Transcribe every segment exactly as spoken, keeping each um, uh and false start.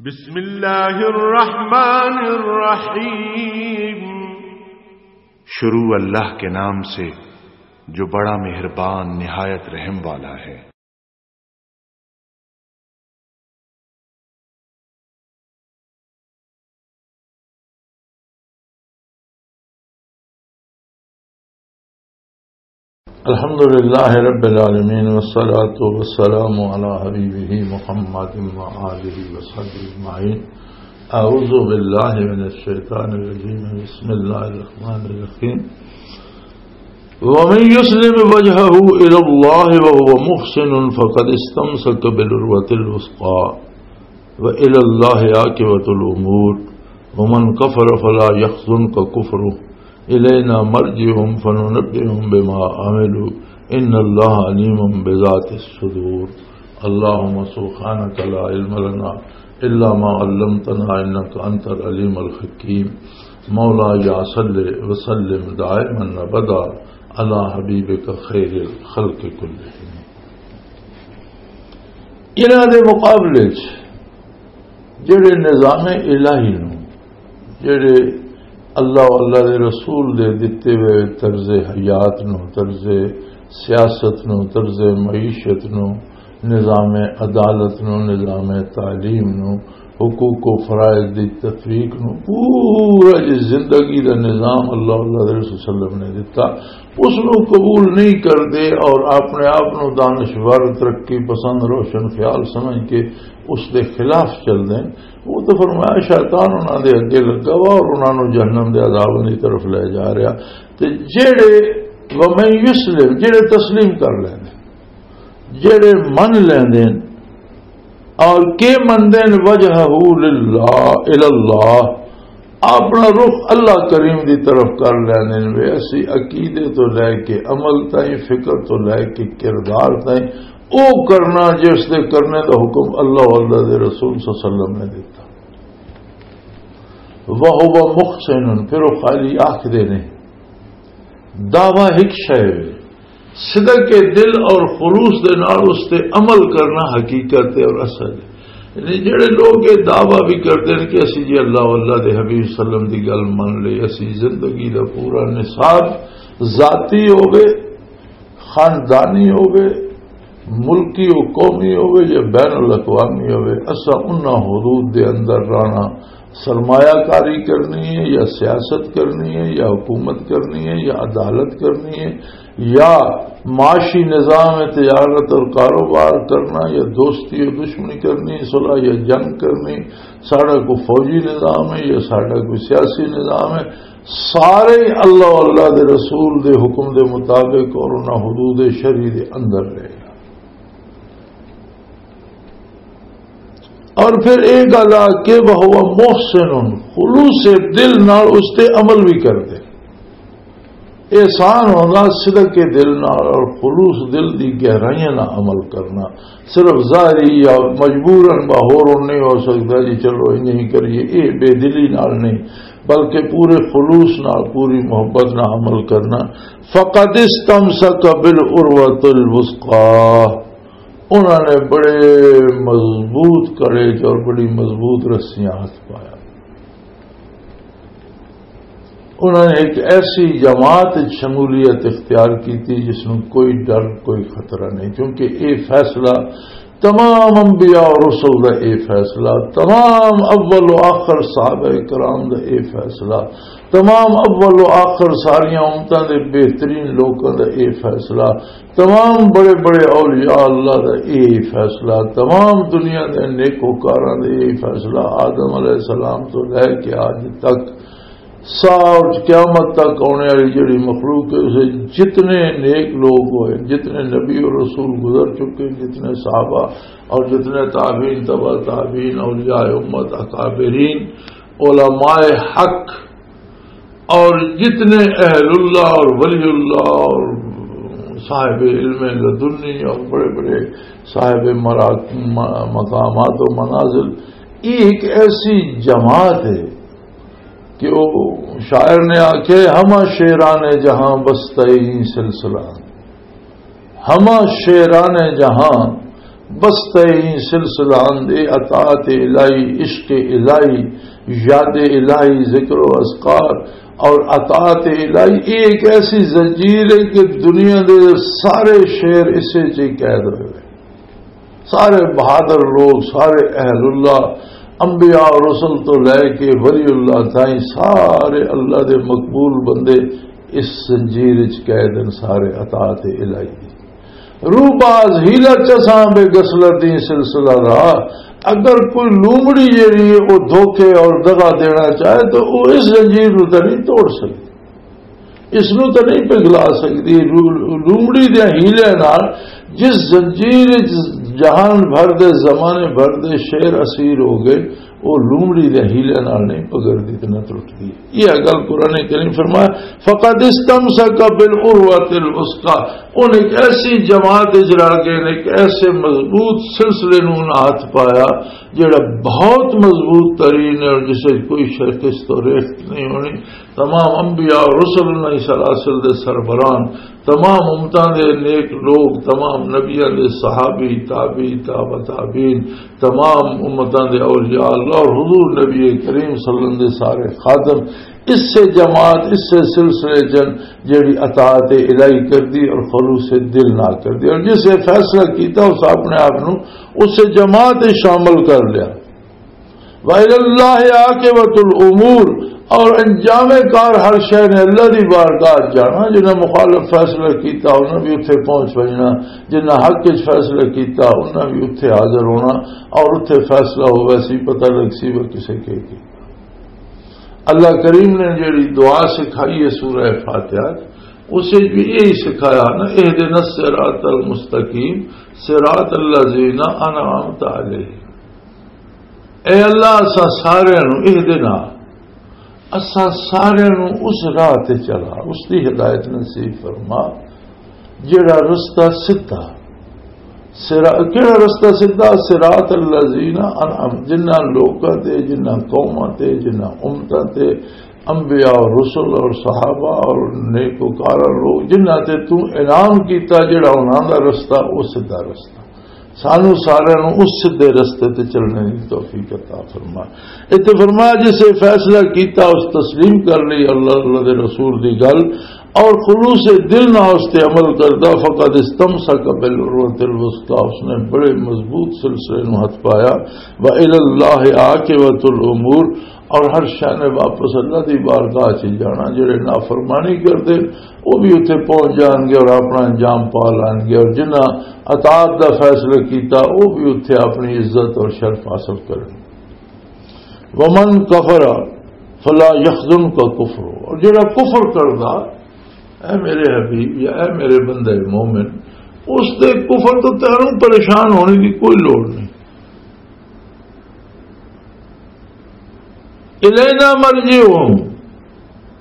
بسم اللہ الرحمن الرحیم۔ شروع اللہ کے نام سے جو بڑا مہربان نہایت رحم والا ہے۔ الحمد لله رب العالمين، والصلاة والسلام على حبيبه محمد وآله وصحبه أجمعين. أعوذ بالله من الشيطان الرجيم. بسم الله الرحمن الرحيم. ومن يسلم وجهه إلى الله وهو محسن فقد استمسك بالعروة الوثقى وإلى الله عاقبة الأمور. ومن كفر فلا يحزنك كفره. إلينا مرجعهم فننبئهم بما عملوا. إن الله عليم بذات الصدور. اللهم سبحانك لا علم لنا إلا ما علمتنا إنك أنت العليم الحكيم. مولاي صل وسلم دائما أبدا على حبيبك خير الخلق كلهم. انہاں دے مقابلے چ جڑے نظام الہی نو، جڑے اللہ و اللہ دے رسول دے دتے ہوئے طرز حیات نو، طرز سیاست نو، طرز معیشت نو، نظام عدالت نو، نظام تعلیم نو، حقوق و فرائض دی تطبیق نو، پورا جی زندگی دا نظام اللہ، اللہ دے رسول صلی اللہ علیہ وسلم نے دتا، اس نو قبول نہیں کردے اور اپنے آپ نو دانشور، ترقی پسند، روشن خیال سمجھ کے اس دے خلاف چل دے، وہ تو فرمایا شیطان انہاں دے اگے لگا وا اور انہاں نو جہنم دے عذاب دی طرف لے جا رہا۔ تے جڑے ومن یسلم، جڑے تسلیم کر لیندے، جڑے من لیندے اور کے مندے نے وجہہ للہ، الاللہ، اپنا رخ اللہ کریم دی طرف کر لیندے نے۔ وے اسی عقیدے تو لے کے عمل تائیں، فکر تو لے کے کردار تائیں، او کرنا جس دے کرنے دا حکم اللہ و اللہ دے رسول صلی اللہ علیہ وسلم نے دیتا۔ وَهُوَ مُحْسِنٌ، پھر وہ خالی آکھ دے نے، دعویٰ ایک شے وے، صدق دل اور خلوص دے نال اس تے عمل کرنا حقیقت ہے اور اصل ہے۔ یعنی جڑے لوگ یہ دعویٰ بھی کردے نے کہ اسی جی اللہ و اللہ دے حبیب صلی اللہ علیہ وسلم دی گل من لے، اسی زندگی دا پورا نصاب ذاتی ہوے، خاندانی ہوے، ملکی و قومی ہوے یا بین الاقوامی ہوے، اساں انہاں حدود دے اندر رہنا، سرمایہ کاری کرنی ہے یا سیاست کرنی ہے یا حکومت کرنی ہے یا عدالت کرنی ہے یا معاشی نظام ہے، تجارت اور کاروبار کرنا یا دوستی و دشمنی کرنی، صلح یا جنگ کرنی، ساڈا کوئی فوجی نظام ہے یا ساڈا کوئی سیاسی نظام ہے، سارے اللہ و اللہ دے رسول دے حکم دے مطابق اور انہاں حدود شرعی دے اندر رہے گا۔ اور پھر ایک گل آ کہ وَهُوَ مُحْسِنٌ، خلوص دل نال اس تے عمل بھی کردے۔ احسان ہونا صدق کے دل نال اور خلوص دل دی گہرائیاں نال عمل کرنا۔ صرف ظاہری یا مجبوراً باہر نہیں ہو سکتا جی چلو انج ہی کریے، یہ بے دلی نال نہیں، بلکہ پورے خلوص نال، پوری محبت نال عمل کرنا۔ فَقَدِ اسْتَمْسَكَ بِالْعُرْوَةِ الْوُثْقَىٰ، انہوں نے بڑے مضبوط کڑے چ اور بڑی مضبوط رسیاں ہاتھ پایا۔ انہوں نے ایک ایسی جماعت وچ شمولیت اختیار کی تھی جس نوں کوئی ڈر، کوئی خطرہ نہیں، کیونکہ یہ فیصلہ تمام انبیاء اور رسل دا یہ فیصلہ، تمام اول و آخر صحابہ کرام دا یہ فیصلہ، تمام اول و آخر ساریاں امتاں دے بہترین لوکاں دا یہ فیصلہ، تمام بڑے بڑے اولیاء اللہ دا یہ فیصلہ، تمام دنیا دے نیکوکاراں دا یہ فیصلہ، آدم علیہ السلام تو لے کے اج تک سا اور قیامت تک آنے والی جڑی مخلوق ہے، اسے جتنے نیک لوگ ہوئے، جتنے نبی اور رسول گزر چکے، جتنے صحابہ اور جتنے تابعین، تبع تابعین، اولیاء امت، اکابرین، علماء حق اور جتنے اہل اللہ اور ولی اللہ اور صاحب علم لدنی اور بڑے بڑے صاحب مراک-، م-، مقامات و منازل، یہ ایک ایسی جماعت ہے کہ وہ شاعر نے آکھے، "ہمہ شیران جہاں بستہ این سلسلہ، ہمہ شیران جہاں بستہ این سلسلہ اندے اطاعت الہی، عشق الہی، یاد الہی، ذکر و اذکار اور اطاعت الہی، یہ ایک ایسی زنجیر ہے کہ دنیا دے سارے شہر اسے چ قید ہوئے ہوئے۔ سارے بہادر لوگ، سارے اہل اللہ، انبیاء اور رسل تو لے کے ولی اللہ تائیں، سارے اللہ دے مقبول بندے اس زنجیر وچ قید ہیں، سارے اطاعت الہی دی۔ روح باز ہیلا چساں بے گسلر دی سلسلہ رہا۔ اگر کوئی لومڑی جیڑی ہے، وہ دھوکے اور دغا دینا چاہے تو وہ اس زنجیر نو تے نہیں توڑ سکتی، اس نو تے نہیں پگھلا سکتی۔ رو-، لومڑی دے ہیلے نال جس زنجیر وچ جہان بھر دے، زمانے بھر دے شیر اسیر ہو گئے، وہ لومڑی دے ہیلے نال نہیں پگڑدی تے نہ ٹرٹدی۔ یہ گل قرآن کریم فرمایا، "فقد استمسک بالعروۃ الوثقی"، ان ایک ایسی جماعت اچ رہ گئے نے، ایک ایسے مضبوط سلسلے نوں انہاں ہاتھ پایا، جڑا بہت مضبوط ترین ہے اور جس وچ کوئی شکست و ریخت نہیں ہونی۔ تمام انبیاء اور رسل انہاں ہی سلاسل دے سربراہان، تمام امتاں دے نیک لوگ، تمام نبیاں دے صحابی، تابعی، تابع تابعین، تمام امتاں دے اولیاء اللہ اور حضور نبی کریم صلی اللہ علیہ وسلم دے سارے خادم، اس سے جماعت، اس سے سلسلے جن جیڑی اطاعت الہی کر دی اور خلوص دل نہ کر دی، اور جس نے فیصلہ کیتا اس اپنے آپ نو اس سے جماعت وچ شامل کر لیا۔ وَإِلَى اللَّهِ عَاقِبَةُ الْأُمُورِ، اور انجام کار ہر شے نے اللہ دی بارگاہ جانا۔ جنہاں مخالف فیصلہ کیتا انہاں بھی اتھے پہنچ وجنا، جنہاں حق وچ فیصلہ کیتا انہاں بھی اتھے حاضر ہونا، اور اتھے فیصلہ ہووے سی، پتہ لگ سی وہ کسے کے کی۔ اللہ کریم نے جڑی دعا سکھائی ہے سورہ فاتحہ، اسے بھی یہی سکھایا نا، "اهدنا الصراط المستقیم، صراط الذين أنعمت عليهم۔" اے اللہ، اساں سارے نو اہدنا، اساں سارے نو اس راہ تے چلا، اس دی ہدایت نصیب فرما، جڑا رستہ سدھا۔ سرا-، کیڑا رستہ سدھا؟ صراط الذین انعم، جنہاں لوکاں تے، جنہاں قوماں تے، جنہاں امتاں تے، انبیاء اور رسل اور صحابہ اور نیکوکار لوگ جنہاں تے تو انعام کیتا، جڑا انہاں دا رستہ، او سدھا رستہ۔ سانو سارے نو اس سدھے رستے تے چلنے دی توفیق عطا فرما۔ اتنے فرمایا، جسے فیصلہ کیتا، اس تسلیم کر لی اللہ، اللہ دے رسول دی گل، اور خلوص دل نہ اس تے عمل کردا، فقد استمسک بالعروۃ الوثقی، اس نے بڑے مضبوط سلسلے نو ہتھ پایا۔ وإلی اللہ عاقبۃ الامور، اور ہر شے نے واپس اللہ دی بارگاہ چ جانا۔ جڑے نافرمانی کردے، وہ بھی اتھے پہنچ جان گے اور اپنا انجام پا لین گے، اور جنہاں اطاعت دا فیصلہ کیتا، وہ بھی اتھے اپنی عزت اور شرف حاصل کرن۔ ومن کفر فلا یحزنک کفر، اور جڑا کفر کردا، اے میرے حبیب یا اے میرے بندے مومن، اس دے کفر تو تینوں پریشان ہونے دی کوئی لوڑ نہیں۔ الینا مرجعہم،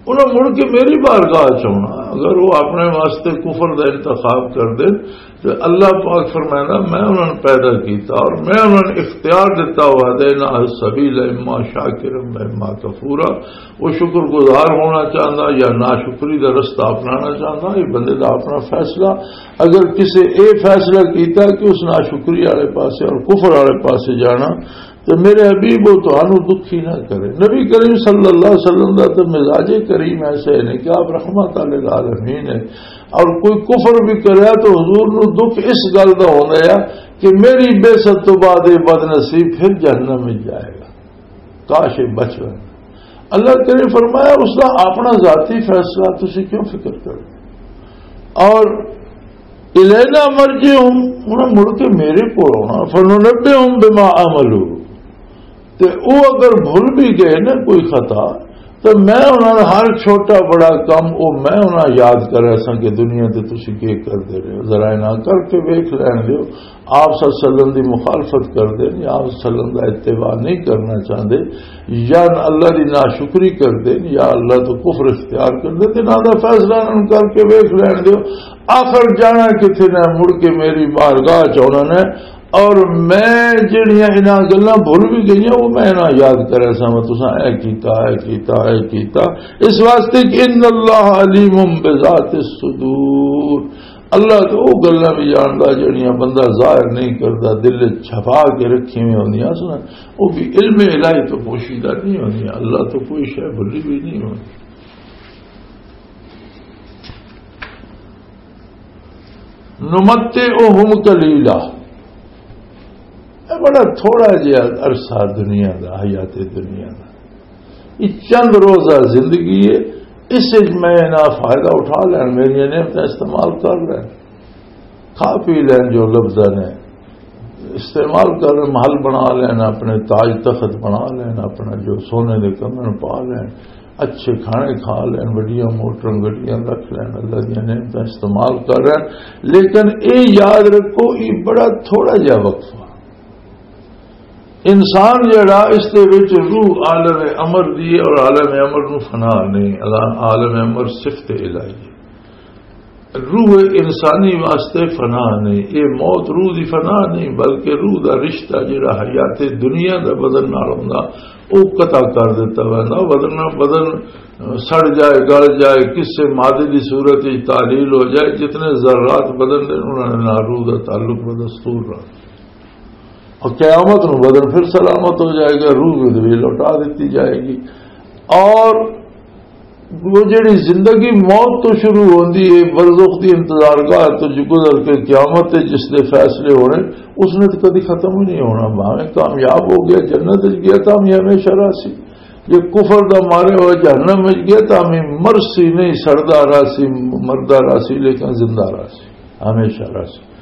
انہاں مڑ کے میری بارگاہ چ آنا۔ اگر وہ اپنے واسطے کفر دا انتخاب کر دے تو اللہ پاک فرمائنا، میں انہاں نے پیدا کیتا اور میں انہاں نے اختیار دیتا، وہدیناہ السبیل اما شاکرا و اما کفورا۔ وہ شکر گزار ہونا چاہتا یا ناشکری دا رستہ اپنانا چاہتا، یہ بندے دا اپنا فیصلہ۔ اگر کسے اے فیصلہ کیتا کہ اس ناشکری والے پاسے اور کفر والے پاسے جانا، تو میرے حبیب، وہ تانوں دکھی نہ کرے۔ نبی کریم صلی اللہ علیہ وسلم دا تو مزاج کریم ایسا ہے نہیں کہ آپ رحمت للعالمین ہے، اور کوئی کفر بھی کرے تو حضور نو دکھ اس گل دا ہونا ہے کہ میری بعثت تو بعد یہ بد نصیب پھر جہنم میں جائے گا، کاش یہ بچ رہے۔ اللہ کریم فرمایا، اس دا اپنا ذاتی فیصلہ، تسی کیوں فکر کرو؟ اور الینا مرجعہم، انہاں مڑ کے میرے کول آنا، فننبئہم بما عملوا، تے او اگر بھول بھی گئے نا کوئی خطا، تو میں انہاں دا ہر چھوٹا بڑا کم او میں انہاں یاد کرا ساں کہ دنیا تے تسی کی کردے رہے ہو، ذرا انہاں کر کے ویکھ لین دیو۔ آپ صلی اللہ علیہ وسلم دی مخالفت کردے نے، آپ صلی اللہ علیہ وسلم دا اتباع نہیں کرنا چاہندے، یا اللہ دی ناشکری کردے نے، یا اللہ تو کفر اختیار کردے، تے انہاں دا فیصلہ انہاں کر کے ویکھ لین دیو۔ آخر جانا کتھے نہ، مڑ کے میری بارگاہ چ آنا نے، اور میں جڑیاں انہاں گلاں بھول بھی گئیاں، وہ میں انہاں یاد کرا سا، میں تساں اے کیتا، اے کیتا، اے کیتا۔ اس واسطے کہ ان اللہ علیم بذات الصدور، اللہ تو وہ گلاں بھی جاندا جڑیاں بندہ ظاہر نہیں کردا، دل وچ چھپا کے رکھی ہوئی ہوندیاں سن، وہ بھی علم الہی تو پوشیدہ نہیں ہوندیاں، اللہ تو کوئی شے بھلی بھی نہیں ہوندی۔ نمتعہم قلیلا، یہ بڑا تھوڑا جہا عرصہ دنیا دا، حیات دنیا دا، یہ چند روزہ زندگی ہے، اس وچ میں نہ فائدہ اٹھا لین، میری نعمتاں استعمال کر لین، کھا پی لین جو لبھدا نے، استعمال کر لین، محل بنا لین، اپنے تاج تخت بنا لین، اپنا جو سونے دے کنگن پا لین، اچھے کھانے کھا لین، وڈیاں موٹراں گڈیاں رکھ لین، اللہ دیاں نعمتاں استعمال کر لین۔ لیکن اے یاد رکھو، یہ بڑا تھوڑا جہا وقفہ۔ انسان جڑا، اس دے وچ روح عالم امر دی ہے اور عالم امر نو فنا نہیں۔ عالم امر صفت الہی ہے۔ روح انسانی واسطے فنا نہیں۔ یہ موت روح دی فنا نہیں، بلکہ روح دا رشتہ جڑا حیات دنیا دا بدن نال ہوندا، او قطع کر دتا ویندا۔ بدن، بدن سڑ جائے، گل جائے، کسے مادے دی صورت وچ تحلیل ہو جائے، جتنے ذرات بدن دے، انہاں نے نال روح دا تعلق بدستور رہا۔ اور قیامت نو بدن پھر سلامت ہو جائے گا، روح بھی لوٹا دیتی جائے گی۔ اور وہ جڑی زندگی موت تو شروع ہوندی ہے، برزخ دی انتظار گاہ تو جو گزر کے قیامت ہے، جس دے فیصلے ہونے، اس نے تو کدی ختم ہی نہیں ہونا۔ بھاویں کامیاب ہو گیا، جنت وچ گیا، تاں بھی ہمیشہ رہسی۔ یہ کفر دا مارے ہوئے جہنم وچ گیا، تاں بھی مرسی نہیں، سڑدا رہسی، مردا رہسی، لیکن زندہ رہسی، ہمیشہ رہسی۔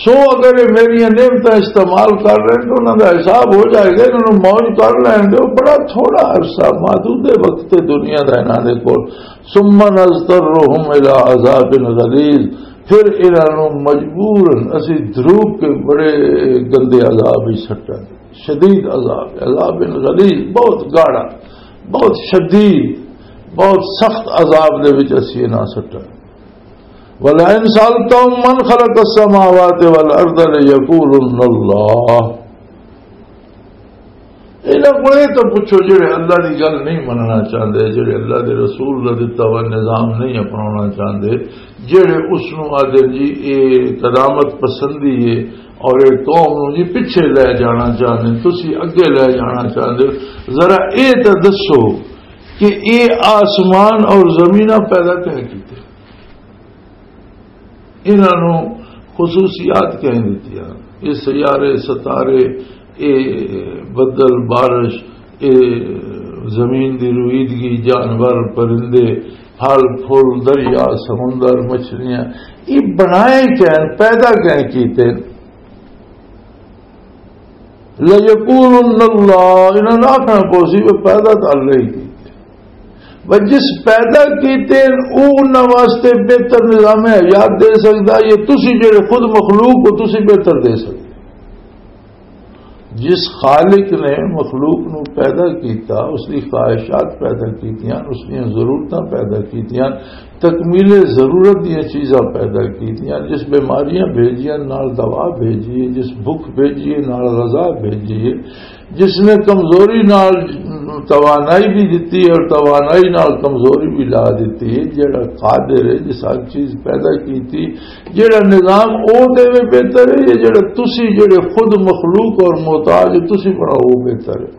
سو اگر یہ میری نعمتاں استعمال کر رہے ہیں تو انہاں دا حساب ہو جائے گا، انہاں نوں موج کر لین دے۔ بڑا تھوڑا عرصہ، محدود وقت تے دنیا دا انہاں دے کول۔ ثم نضطرهم الى عذاب غلیظ، پھر انہاں نوں مجبوراً اسی دھروک کے بڑے گندے عذاب وچ سٹاں گے، شدید عذاب، عذاب غلیظ، بہت گاڑا، بہت شدید، بہت سخت عذاب دے وچ اسی انہاں سٹاں گے۔ وَلَئِن سَأَلْتَهُم مَّنْ خَلَقَ السَّمَاوَاتِ وَالْأَرْضَ لَيَقُولُنَّ اللَّهُ۔ انہاں کو یہ تو پوچھو جڑے اللہ دی گل نہیں مننا چاہندے، جڑے اللہ دے رسول دا دتا ہوا نظام نہیں اپناونا چاہندے، جڑے اس نوں آدھے جی اے قدامت پسندی ہے اور اے قوم نوں جی پیچھے لے جانا چاہندے، تسی اگے لے جانا چاہندے۔ ذرا اے تے دسو کہ اے آسمان اور زمیناں پیدا کیوں کیتے؟ انہاں نوں خصوصیات کہیں دتیاں۔ یہ سیارے، ستارے، یہ بدل، بارش، یہ زمین دی رویدگی، جانور، پرندے، پھل، پھول، دریا، سمندر، مچھلیاں، یہ بنائے کہیں، پیدا کہیں کیتے؟ لَيَقُولُنَّ اللَّهُ، انہاں نے آکھنا پوسی، وہ پیدا تو اللہ ہی کیتے۔ بس جس پیدا کیتے ہیں، او انہاں واسطے بہتر نظام حیات دے سکدا، یہ تسی جڑے خود مخلوق ہو، تسی بہتر دے سکدے۔ جس خالق نے مخلوق نو پیدا کیتا، اس دی خواہشات پیدا کیتیاں، اس دیاں ضرورتاں پیدا کیتیاں، تکمیل ضرورت دیاں چیزاں پیدا کیتیاں، جس بیماریاں بھیجیاں نال دوا بھیجیے، جس بھوک بھیجیے نال غذا بھیجیے، جس نے کمزوری نال توانائی بھی دتی اور توانائی نال کمزوری بھی لا دتی، جڑا قادر ہے، جس ہر چیز پیدا کیتی، جڑا نظام او دے وے بہتر ہے، یا جڑا تسی جڑے خود مخلوق اور محتاج ہو، تسی بناؤ، وہ بہتر ہے؟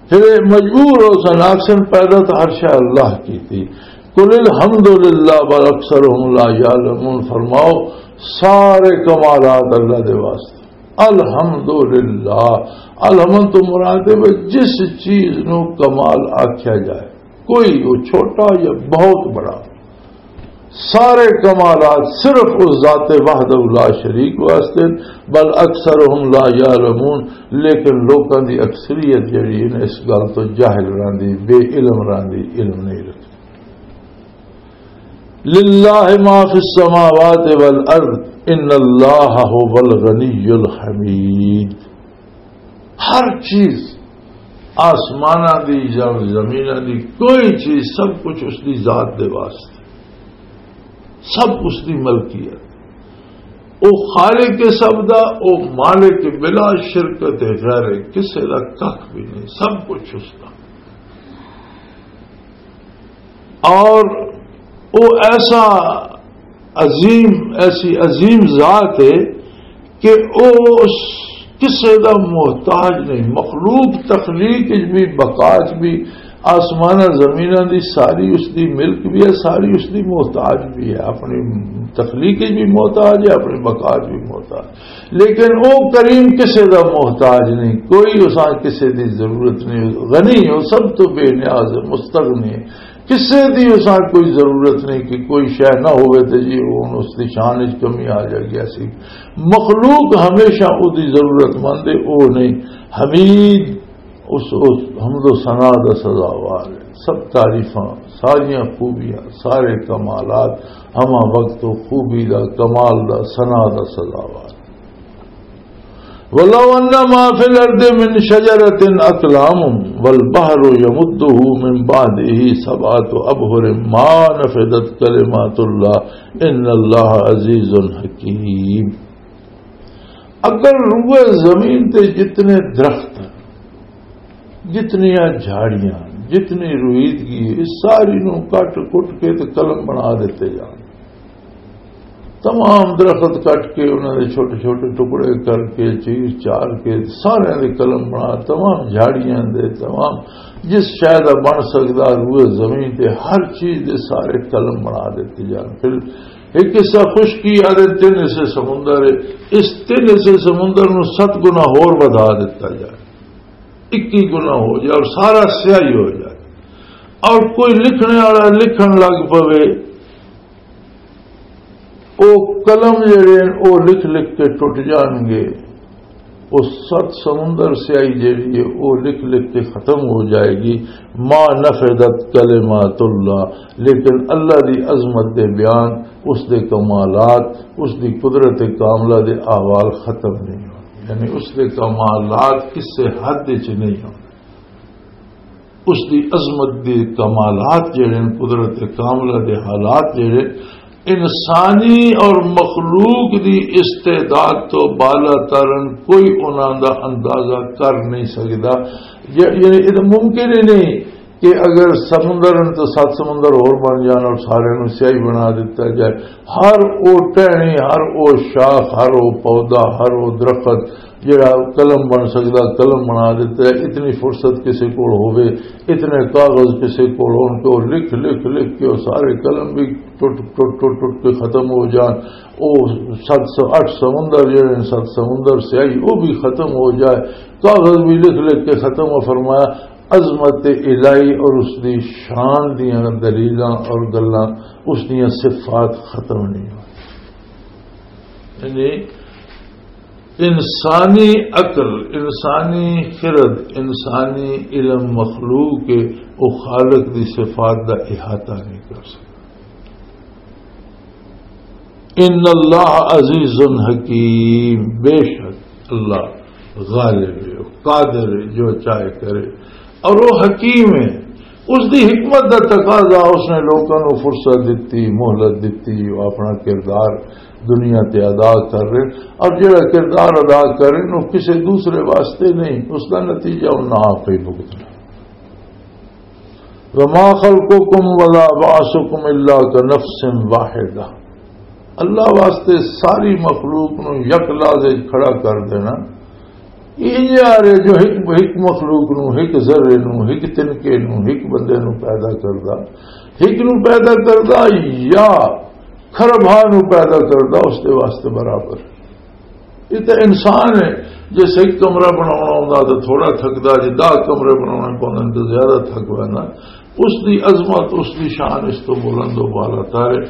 پھر یہ مجبور ہو سن، آکسن پیدا تو ہر شے اللہ کی تھی۔ قل الحمدللہ بل اکثرهم لا یعلمون، فرماؤ سارے کمالات اللہ دے واسطے۔ الحمدللہ، الحمد تو مراد ہے وہ جس چیز نو کمال آکھیا جائے، کوئی وہ چھوٹا یا بہت بڑا، سارے کمالات صرف اس ذات وحدہ لا شریک واسطے، بل اکثرهم لا یعلمون، لیکن لوکاں دی اکثریت جڑی ہے نا، اس گل تو جاہل راندی، بے علم راندی، علم نہیں رکھدی۔ للہ ما فی السماوات والارض، ان اللہ هو الغنی الحمید۔ ہر چیز، آسماناں دی یا زمیناں دی، کوئی چیز، سب کچھ اس دی ذات دے واسطے، سب اس دی ملکیت۔ او خالق سب دا، او مالک بلا شرکت غیر کسے دا کھ بھی نہیں، سب کچھ اس دا۔ اور وہ ایسا عظیم، ایسی عظیم ذات ہے کہ او اس کسے دا محتاج نہیں۔ مخلوق تخلیق وچ بھی، بقا وچ بھی، آسماناں زمیناں دی ساری اس دی ملک بھی ہے، ساری اس دی محتاج بھی ہے، اپنی تخلیق وچ بھی محتاج ہے، اپنی بقا وچ بھی محتاج۔ لیکن او کریم کسے دا محتاج نہیں، کوئی اساں کسے دی ضرورت نہیں، غنی ہو، سب تو بے نیاز ہے، مستغنی ہے۔ کسے دی اساں کوئی ضرورت نہیں کہ کوئی شے نہ ہوئے تے جی ہن اس دی شان وچ کمی آ جائے گی۔ ایسی مخلوق ہمیشہ او دی ضرورت مند ہے، او نہیں۔ حمید اس، اس حمد و ثنا دا سزاوار ہے۔ سب تعریفاں، ساریاں خوبیاں، سارے کمالات ہما وقت و خوبی دا، کمال دا، ثنا دا سزاوار۔ ولو ان ما فی الارض من شجرۃ اقلام والبحر یمدہ من بعدہ سبعۃ ابحر ما نفدت کلمات اللہ ان اللہ عزیز حکیم۔ اگر روئے زمین تے جتنے درخت، جتنیاں جھاڑیاں، جتنی رویدگی، اس ساری نو کٹ کٹ کے تے قلم بنا دیتے جان۔ تمام درخت کٹ کے، انہاں دے چھوٹے چھوٹے ٹکڑے کر کے، چیر چار کے، سارے دے قلم بنا، تمام جھاڑیاں دے، تمام جس شے دا بن سکدا، روئے زمین تے ہر چیز دے سارے قلم بنا دیتے جان۔ پھر ایک حصہ خشکی آ دے، تین حصے سمندر ہے، اس تین حصے سمندر نو ست گنا ہور ودھا دیتا جائے، اکی گنا ہو جائے اور سارا سیاہی ہو جائے، اور کوئی لکھنے والا لکھن لگ پوے، او قلم جڑے ہیں، او لکھ لکھ کے ٹوٹ جان گے۔ او ست سمندر سیاہی جڑی ہے، او لکھ لکھ کے ختم ہو جائے گی۔ ما نفدت کلمات اللہ، لیکن اللہ دی عظمت دے بیان، اس دے کمالات، اس دی قدرت کاملہ دے احوال ختم نہیں ہوندے، یعنی اس دے کمالات کسے حد وچ نہیں ہوندے۔ اس دی عظمت دے کمالات جڑے ہیں، قدرت کاملہ دے حالات جڑے، انسانی اور مخلوق دی استعداد تو بالا ترن، کوئی انہاں دا اندازہ کر نہیں سکدا۔ یا-، یعنی یہ تو ممکن ہی نہیں کہ اگر سمندر ہیں تو ست سمندر اور بن جان اور سارے نوں سیاہی بنا دیتا جائے۔ ہر او ٹہنی، ہر او شاخ، ہر او پودا، ہر او درخت جڑا قلم بن سکدا، قلم بنا دیتا ہے۔ اتنی فرصت کسے کول ہووے، اتنے کاغذ کسے کول ہون کہ وہ لکھ، لکھ، لکھ کے وہ سارے قلم بھی ٹوٹ، ٹوٹ، ٹوٹ، ٹوٹ کے ختم ہو جان۔ او ست سو، اٹھ سمندر جڑے ہیں، ست سمندر سیاہی، وہ بھی ختم ہو جائے، کاغذ بھی لکھ، لکھ کے ختم ہو۔ فرمایا، عظمت الہی اور اس دی شان دیاں دلیلاں اور گلاں، اس دیاں صفات ختم نہیں ہوندیاں۔ یعنی انسانی عقل، انسانی خرد، انسانی علم مخلوق کے، وہ خالق دی صفات دا احاطہ نہیں کر سکتا۔ ان اللہ عزیز حکیم، بے شک اللہ غالب ہے، قادر ہے، جو چاہے کرے، اور وہ حکیم ہے۔ اس دی حکمت دا تقاضا، اس نے لوکاں نوں فرصت دتی، مہلت دتی، وہ اپنا کردار دنیا تے ادا کر رہے، اور جڑا کردار ادا کر رہے، وہ کسی دوسرے واسطے نہیں، اس دا نتیجہ انہاں آپ ہی بھگتنا۔ وما خلقکم ولا بعثکم الا کنفس واحدہ۔ اللہ واسطے ساری مخلوق نو یک لحظے وچ کھڑا کر دینا، یہ یار ہے جو ایک، ایک مخلوق نو، ایک ذرے نو، ایک تنکے نو، ایک بندے نو پیدا کردا، ایک نو پیدا کردا یا کھربھا نو پیدا کردا، اس دے واسطے برابر۔ یہ تے انسان ہے، جس ایک کمرہ بناونا ہوندا تے تھوڑا تھکدا، جے دہ کمرے بناونے پوندے تے زیادہ تھک ویندا۔ اس دی عظمت، اس دی شان اس تو بلند و بالا تر ہے۔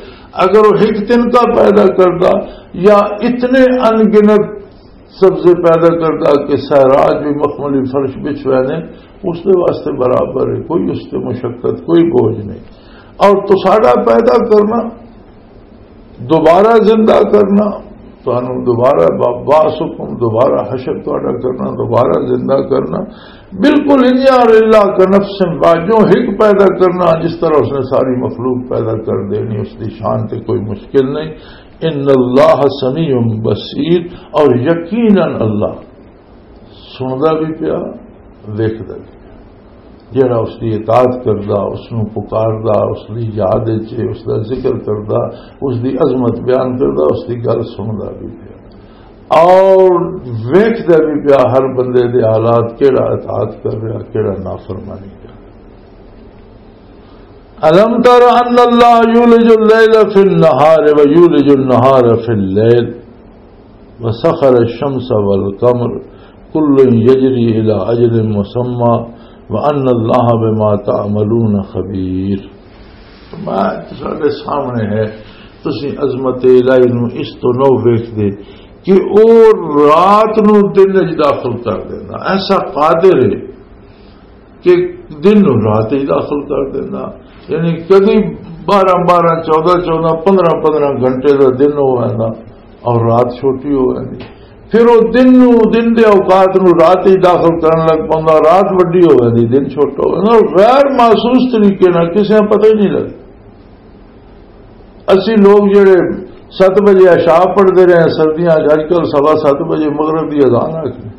اگر وہ ایک تنکا پیدا کردا یا اتنے ان گنت سبزے پیدا کردا کہ صحرا بھی مخملی فرش بچھ ویندے، اس دے واسطے برابر ہے، کوئی اس تے مشقت، کوئی بوجھ نہیں۔ اور تو ساڈا پیدا کرنا، دوبارہ زندہ کرنا، تانوں دوبارہ با-، بعثکم، دوبارہ حشر تہاڈا کرنا، دوبارہ زندہ کرنا، بالکل انجا للہ کا نفس واحد، جو ایک پیدا کرنا، جس طرح اس نے ساری مخلوق پیدا کر دینی، اس دی شان تے کوئی مشکل نہیں۔ ان اللہ سمیع بصیر، اور یقیناً اللہ سندا بھی پیا، ویکھدا بھی پیا۔ جڑا اس دی اطاعت کردا، اس نوں پکاردا، اس دی یاد وچ اس دا ذکر کردا، اس دی عظمت بیان کردا، اس دی گل سندا بھی پیا اور ویکھدا بھی پیا ہر بندے دے حالات، کیڑا اطاعت کر رہا، کیڑا نافرمانی کر رہا۔ الم تر ان اللہ یولج اللیل فی النہار و یولج النہار فی اللیل وسخر الشمس والقمر کل یجری الی اجل مسمی وان اللہ بما تعملون خبیر۔ فرمایا، تساڈے سامنے ہے، تسی عظمت الہی نو اس تو نہ ویکھدے کہ او رات نو دن وچ داخل کر دینا، ایسا قادر ہے کہ دن نو رات وچ داخل کر دینا۔ یعنی کدی بارہ بارہ، چودہ چودہ، پندرہ پندرہ گھنٹے دا دن ہو ویندا اور رات چھوٹی ہو ویندی۔ پھر وہ دن نو، دن دے اوقات نو رات وچ داخل کرن لگ پوندا، رات وڈی ہو ویندی، دن چھوٹا ہو ویندا، اور غیر محسوس طریقے نال کسے نوں پتہ ہی نہیں لگدا۔ اسی لوگ جڑے ست بجے عشاء پڑھتے رہے ہیں سردیاں چ، اج کل سوا ست بجے مغرب کی اذان آ گئی۔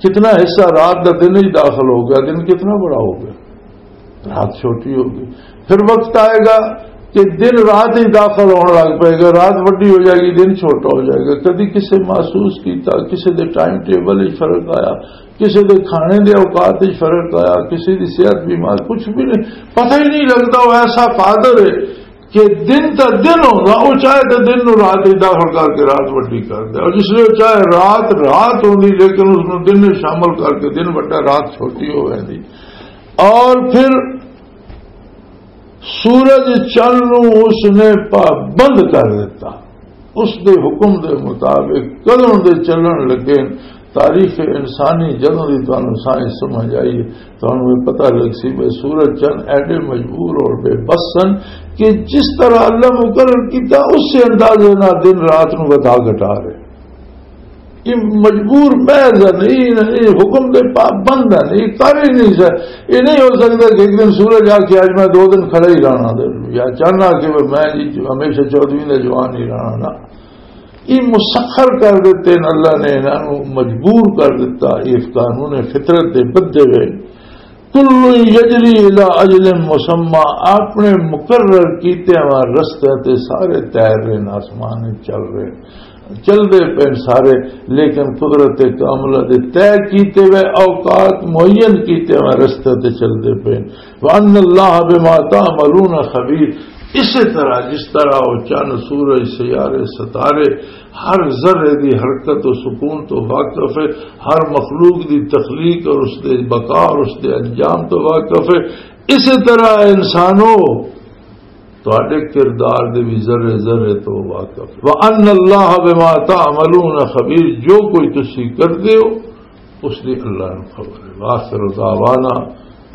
کتنا حصہ رات کا دن ہی داخل ہو گیا، دن کتنا بڑا ہو گیا، رات چھوٹی ہو گئی۔ پھر وقت آئے گا کہ دن رات ہی داخل ہونے لگ پائے گا، رات وڈی ہو جائے گی، دن چھوٹا ہو جائے گا۔ کدی کسے محسوس کیتا، کسے دے ٹائم ٹیبل ہی فرق آیا، کسے دے کھانے دے اوقات ہی فرق آیا، کسے دی صحت بیمار، کچھ بھی نہیں، پتہ ہی نہیں لگتا۔ وہ ایسا قادر ہے کہ دن تا دن ہونا، وہ چاہے تو دن نو رات ہی داخل کر کے رات وڈی کر دے، اور جس لیے وہ چاہے رات رات ہوندی، لیکن اس نو دن میں شامل کر کے دن وڈا، رات چھوٹی ہو ویندی۔ اور پھر سورج چن نو اس نے پابند کر دیتا، اس دے حکم دے مطابق کدوں دے چلن لگے۔ تاریخ انسانی جدوں دی تانوں سائنس سمجھ آئی ہے، تانوں یہ پتہ لگ سی بھئی سورج چن ایڈے مجبور اور بے بس سن کہ جس طرح اللہ مقرر کیتا، اس سے اندازے نال دن رات نو ودھا گھٹا رہے۔ یہ مجبور محض ہے، نہیں، نہیں، حکم دے پابند ہے، نہیں، کر ہی نہیں سکتا۔ یہ نہیں ہو سکتا کہ ایک دن سورج آ کے آج میں دو دن کھڑا ہی رہنا، یا چاہنا کہ میں جی ہمیشہ چودھویں دا جوان ہی رہنا نا۔ یہ مسخر کر دیتے ہیں اللہ نے، انہاں نوں مجبور کر دیتا۔ یہ قانون فطرت دے بدے ہوئے۔ کل یجری الی اجل مسمی، اپنے مقرر کیتے ہوئے رستے تے سارے تیر رہے ہیں، آسمان وچ چل رہے ہیں، چل دے پے سارے، لیکن قدرت کاملہ دے طے کیتے ہوئے اوقات معین کیتے ہوئے رستے تے چل دے پے۔ وان اللہ بما تعملون خبیر۔ اسی طرح جس طرح وہ چند، سورج، سیارے، ستارے، ہر ذرے دی حرکت و سکون تو واقف ہے، ہر مخلوق دی تخلیق اور اس دے بقا اور اس دے انجام تو واقف ہے، اسی طرح انسانوں تہاڈے کردار دے بھی ذرے ذرے تو واقف ہے۔ وان اللہ بما تعملون خبیر، جو کوئی تسی کردے ہو، اس دی اللہ نوں خبر ہے۔ وآخر دعوانا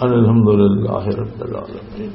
ان الحمدللہ رب العالمین۔